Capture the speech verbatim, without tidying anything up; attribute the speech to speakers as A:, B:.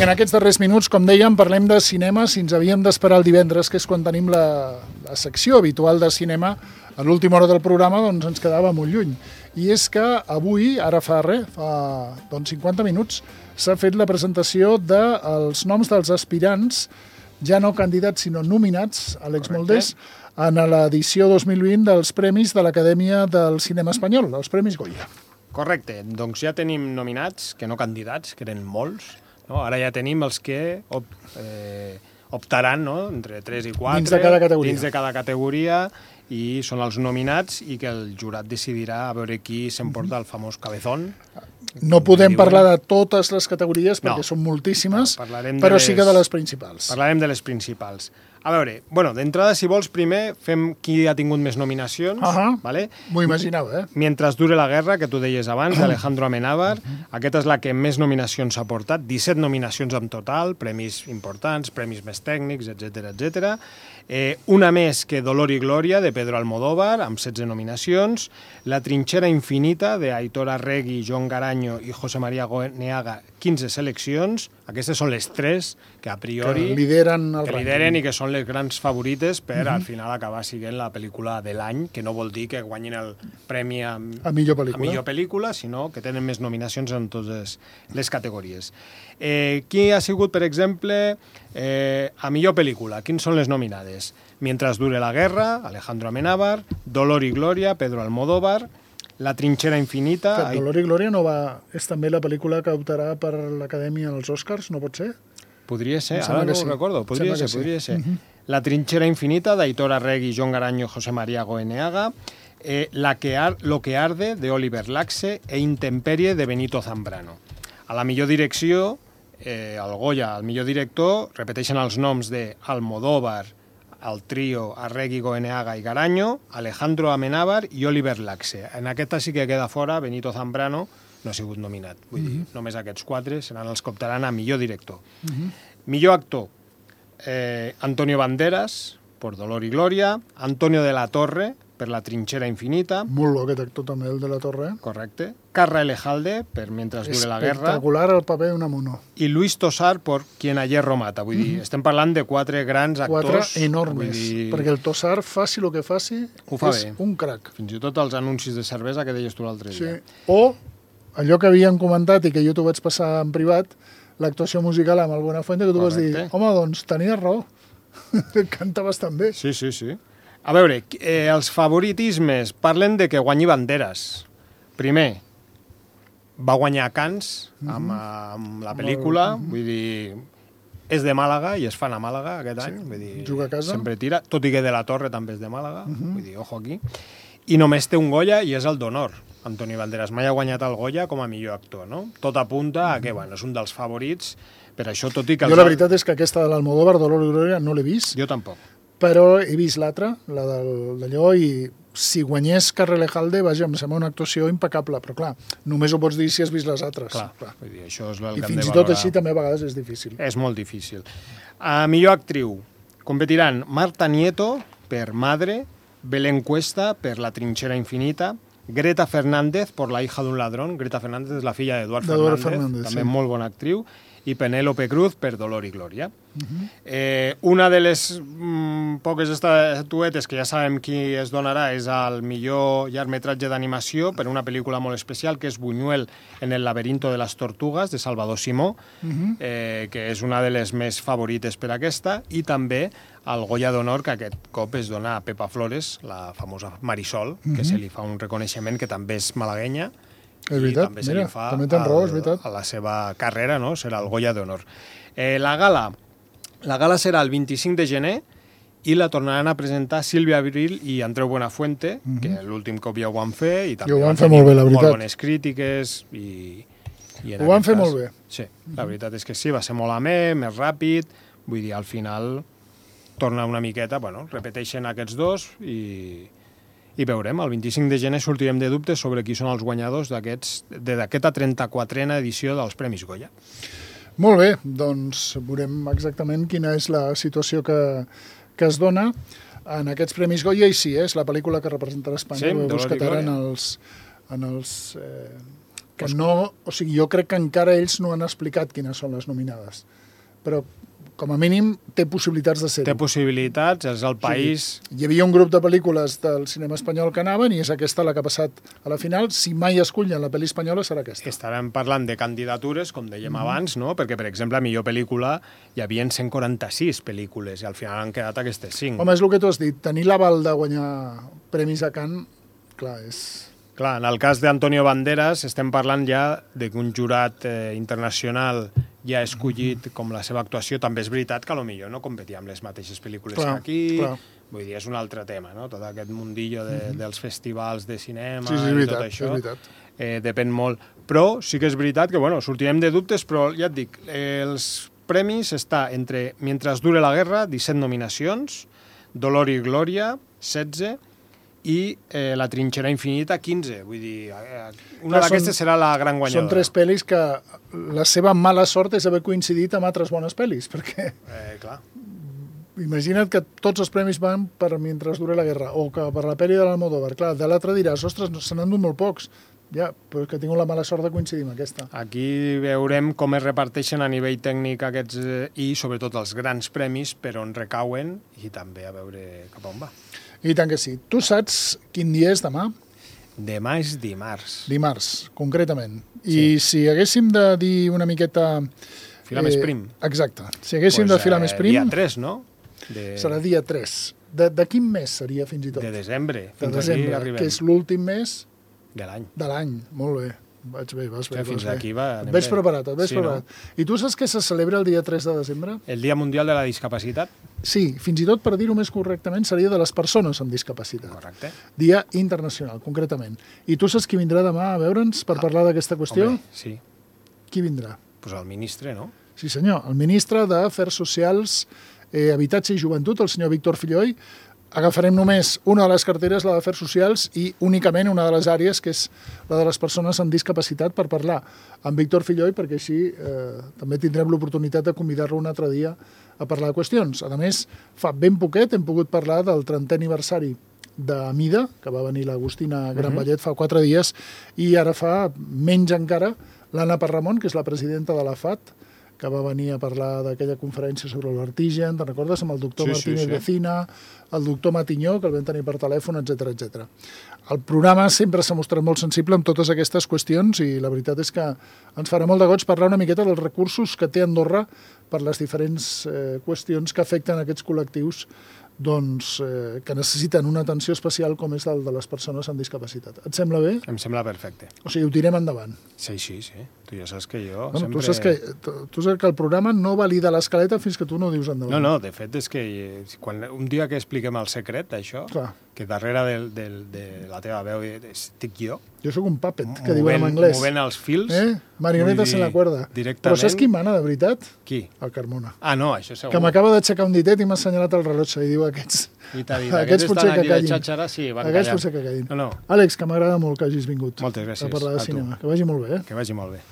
A: Vinga, en aquests darrers minuts, com dèiem, parlem de cinema. Si ens havíem d'esperar el divendres, que és quan tenim la, la secció habitual de cinema, a l'última hora del programa doncs ens quedava molt lluny. I és que avui, ara fa res, fa doncs, cinquanta minuts, s'ha fet la presentació dels noms dels aspirants, ja no candidats, sinó nominats, Àlex Moldés, en l'edició dos mil vint dels Premis de l'Acadèmia del Cinema Espanyol, els Premis Goya.
B: Correcte, doncs ja tenim nominats, que no candidats, que eren molts, no? Ara ja tenim els que op, eh, optaran, no? Entre tres i quatre,
A: dins de cada categoria.
B: Dins de cada categoria, i són els nominats i que el jurat decidirà a veure qui s'emporta el famós cabezón.
A: No podem parlar de totes les categories perquè
B: no.
A: són moltíssimes,
B: no,
A: però
B: les...
A: sí que de les principals.
B: Parlarem de les principals. A veure, bueno, d'entrada, si vols, primer fem qui ha tingut més nominacions.
A: Uh -huh.
B: ¿Vale?
A: M'ho imaginava, eh?
B: Mientras dure la guerra, que tu deies abans, d'Alejandro Amenábar. Aquesta és la que més nominacions ha portat, disset nominacions en total, premis importants, premis més tècnics, etcètera, etcètera. Eh, una més que Dolor y Gloria, de Pedro Almodóvar, amb setze nominacions. La trinxera infinita, de Aitor Arregui, Joan Garanyo i José María Goeneaga, quinze seleccions. Aquestes són les tres que a priori...
A: Que lideren el
B: que lideren i que són les grans favorites per, uh -huh. al final, acabar sent la pel·lícula de l'any, que no vol dir que guanyin el premi a,
A: a, millor, pel·lícula.
B: a millor pel·lícula, sinó que tenen més nominacions en totes les categories. Eh, qui ha sigut, per exemple, eh, a millor pel·lícula? Quins són les nominades? Mientras dure la guerra, Alejandro Amenábar, Dolor y Gloria, Pedro Almodóvar, La trinxera infinita...
A: Que Dolor y Gloria no va... és també la pel·lícula que optarà per l'Acadèmia als Oscars, no pot ser?
B: Podria ser, ara no
A: sí.
B: ho recordo, podria ser,
A: sí.
B: podria ser.
A: Uh -huh.
B: La trinxera infinita, d'Aitor Arregui, Joan Garanyo, José María Goeneaga, eh, la que ar Lo que arde, de Oliver Laxe, e Intemperie, de Benito Zambrano. A la millor direcció, eh, el Goya, el millor director, repeteixen els noms de Almodóvar, el trio Arregui, Goeneaga i Garanyo, Alejandro Amenábar i Oliver Laxe. En aquesta sí que queda fora Benito Zambrano, no ha sigut nominat. Vull uh -huh. dir, només aquests quatre seran els que optaran a millor director. Uh -huh. Millor actor, eh, Antonio Banderas, per Dolor y Gloria, Antonio de la Torre, per La trinxera infinita.
A: Molt bo aquest actor també, el de la Torre.
B: Correcte. Carra Elejalde, per Mientras dure la guerra.
A: Espectacular el paper d'Unamuno.
B: I Luis Tosar, per Quien a hierro mata. Vull dir, mm -hmm. estem parlant de quatre grans actors.
A: Quatre enormes, dir... perquè el Tosar, faci el que faci,
B: ho fa
A: és
B: bé.
A: un crac.
B: Fins i tot els anuncis de cervesa que deies tu l'altre
A: sí.
B: dia.
A: O allò que havíem comentat i que jo t'ho vaig passar en privat, l'actuació musical amb el Buenafuente, que tu Correcte. Vas dir, home, doncs tenies raó, canta bastant bé.
B: Sí, sí, sí. A veure, eh, els favoritismes parlen de que guanyi Banderas. Primer, va guanyar a Cannes amb, amb la pel·lícula, vull dir, és de Màlaga i es fan a Màlaga aquest any,
A: sí,
B: vull dir,
A: juga a casa.
B: Sempre tira, tot i que de la Torre també és de Màlaga, uh-huh. vull dir, ojo aquí, i només té un Goya i és el d'honor. Antoni Banderas mai ha guanyat el Goya com a millor actor, no? Tot apunta a que, bueno, és un dels favorits, per això, tot i que...
A: Jo la veritat és que aquesta de l'Almodóvar, Dolor y Gloria, no l'he vist.
B: Jo tampoc.
A: Però he vist l'altra, la d'allò, i si guanyés Carra Elejalde, vaja, em sembla una actuació impecable, però clar, només ho pots dir si has vist les altres.
B: Clar, clar. Vull dir, això és el
A: I
B: que
A: fins
B: hem de
A: i tot
B: valorar.
A: així també a vegades és difícil.
B: És molt difícil. A millor actriu, competiran Marta Nieto, per Madre, Belén Cuesta, per La trinxera infinita, Greta Fernández, per La hija d'un ladrón. Greta Fernández és la filla d'Eduard Fernández, Fernández, també sí. molt bona actriu, i Penélope Cruz per Dolor y Gloria. Uh-huh. eh, una de les mm, poques estatuetes que ja sabem qui es donarà és el millor llargmetratge d'animació per una pel·lícula molt especial, que és Buñuel en el laberinto de les tortugues, de Salvador Simó, uh-huh. eh, que és una de les més favorites per aquesta, i també el Goya d'Honor, que aquest cop es dona a Pepa Flores, la famosa Marisol, uh-huh. que se li fa un reconeixement, que també és malaguenya,
A: és veritat,
B: també se
A: mira,
B: li fa
A: també tens raó, és veritat.
B: A la seva carrera, no? Serà el Goya d'Honor. Eh, la gala la gala serà el vint-i-cinc de gener i la tornaran a presentar Sílvia Abril i Andreu Buenafuente, mm -hmm. que l'últim cop ja ho van fer i també
A: I ho van
B: van
A: fer molt bé, la veritat.
B: Molt bones crítiques i... i
A: ho van fer
B: cas,
A: molt bé.
B: Sí, la veritat és que sí, va ser molt amè, més ràpid, vull dir, al final torna una miqueta, bueno, repeteixen aquests dos i... i veurem, el vint-i-cinc de gener sortirem de dubtes sobre qui són els guanyadors d'aquesta trenta-quatrena edició dels Premis Goya.
A: Molt bé, doncs veurem exactament quina és la situació que, que es dona en aquests Premis Goya, i sí, és la pel·lícula que representarà Espanya,
B: sí,
A: veus que en els, en els eh, que no... O sigui, jo crec que encara ells no han explicat quines són les nominades, però com a mínim té possibilitats de ser-ho.
B: Té possibilitats, és el país...
A: Sí. Hi havia un grup de pel·lícules del cinema espanyol que anaven i és aquesta la que ha passat a la final. Si mai escullen la pel·li espanyola serà aquesta.
B: Estarem parlant de candidatures, com dèiem mm. abans, no? Perquè, per exemple, a millor pel·lícula hi havia cent quaranta-sis pel·lícules i al final han quedat aquestes cinc.
A: Home, és el que tu has dit. Tenir l'aval de guanyar premis a Cannes, clar, és...
B: Clar, en el cas d'Antonio Banderas estem parlant ja d'un jurat eh, internacional ja escollit com la seva actuació. També és veritat que potser no competia amb les mateixes pel·lícules
A: clar,
B: que aquí.
A: Clar.
B: Vull dir, és un altre tema, no? Tot aquest mundillo de, mm-hmm. dels festivals de cinema
A: sí, sí,
B: i
A: veritat,
B: tot això.
A: És veritat.
B: Eh, depèn molt. Però sí que és veritat que, bueno, sortirem de dubtes, però ja et dic, eh, els premis està entre Mientras dure la guerra, disset nominacions, Dolor i Glòria, setze, i eh, La trinxera infinita, quinze. Vull dir, eh, una d'aquestes serà la gran guanyadora.
A: Són tres pel·lis que la seva mala sort és haver coincidit amb altres bones pel·lis, perquè...
B: Eh, clar.
A: Imagina't que tots els premis van per Mientras dure la guerra, o que per la pel·li de l'Almodóvar. Clar, de l'altre diràs, ostres, se n'han dut molt pocs. Ja, però és que tinc la mala sort de coincidir amb aquesta.
B: Aquí veurem com es reparteixen a nivell tècnic aquests eh, i sobretot els grans premis per on recauen i també a veure cap on va.
A: I tant que sí. Tu saps quin dia és demà?
B: Demà és dimarts.
A: Dimarts, concretament. I sí. si haguéssim de dir una miqueta...
B: Filar més prim.
A: Exacte. Si haguéssim pues, de filar eh, més prim...
B: Dia tres, no?
A: De... Serà dia tres. De, de quin mes seria, fins i tot?
B: De desembre.
A: De desembre, que és l'últim mes...
B: De l'any.
A: De l'any, molt bé. Vaig bé, vas bé.
B: Que fins aquí va...
A: Et veig preparat, et veig sí, preparat. No? I tu saps què se celebra el dia tres de desembre?
B: El Dia Mundial de la Discapacitat.
A: Sí, fins i tot, per dir-ho més correctament, seria de les persones amb discapacitat.
B: Correcte.
A: Dia internacional, concretament. I tu saps qui vindrà demà a veure'ns per ah, parlar d'aquesta qüestió?
B: Home, sí.
A: Qui vindrà?
B: Doncs pues el ministre, no?
A: Sí, senyor. El ministre d'Afers Socials, eh, Habitatge i Joventut, el senyor Víctor Filloy. Agafarem només una de les carteres, la d'Afers Socials, i únicament una de les àrees, que és la de les persones amb discapacitat, per parlar amb Víctor Filloy, perquè així eh, també tindrem l'oportunitat de convidar-lo un altre dia a parlar de qüestions. A més, fa ben poquet hem pogut parlar del trentè aniversari de Mida, que va venir l'Agustina Granvallet uh-huh. fa quatre dies, i ara fa menys encara l'Anna Parramon, que és la presidenta de la F A T, que va venir a parlar d'aquella conferència sobre el vertigen, te'n recordes? Amb el doctor sí, Martínez sí, sí. Vecina, el doctor Matinyó, que el vam tenir per telèfon, etcètera etcètera. El programa sempre s'ha mostrat molt sensible amb totes aquestes qüestions i la veritat és que ens farà molt de goig parlar una miqueta dels recursos que té Andorra per les diferents eh, qüestions que afecten aquests col·lectius doncs, eh, que necessiten una atenció especial com és el de les persones amb discapacitat. Et sembla bé?
B: Em sembla perfecte.
A: O sigui, ho tirem endavant.
B: Sí, sí, sí. Tu ja saps que jo
A: bueno,
B: sempre...
A: Tu saps que, tu, tu saps que el programa no valida l'escaleta fins que tu no ho dius endavant.
B: No, no, de fet és que quan, un dia que expliquem el secret d'això, que darrere del, del, de la teva veu estic jo,
A: jo sóc un puppet, que diuen en anglès.
B: Movent els fils.
A: Eh? Marionetes en la cuerda. Però saps qui mana, de veritat?
B: Qui?
A: El Carmona.
B: Ah, no, això segur.
A: Que m'acaba d'aixecar un ditet i m'ha assenyalat el rellotge i diu aquests...
B: I t'ha dit,
A: aquests, aquests potser que callin.
B: Xatxara, sí, van
A: aquests
B: callar.
A: potser que callin.
B: No, no.
A: Àlex, que m'agrada molt que hagis vingut.
B: Moltes gràcies.
A: A parlar de cinema. Que vagi molt bé. Eh?
B: Que vagi molt bé.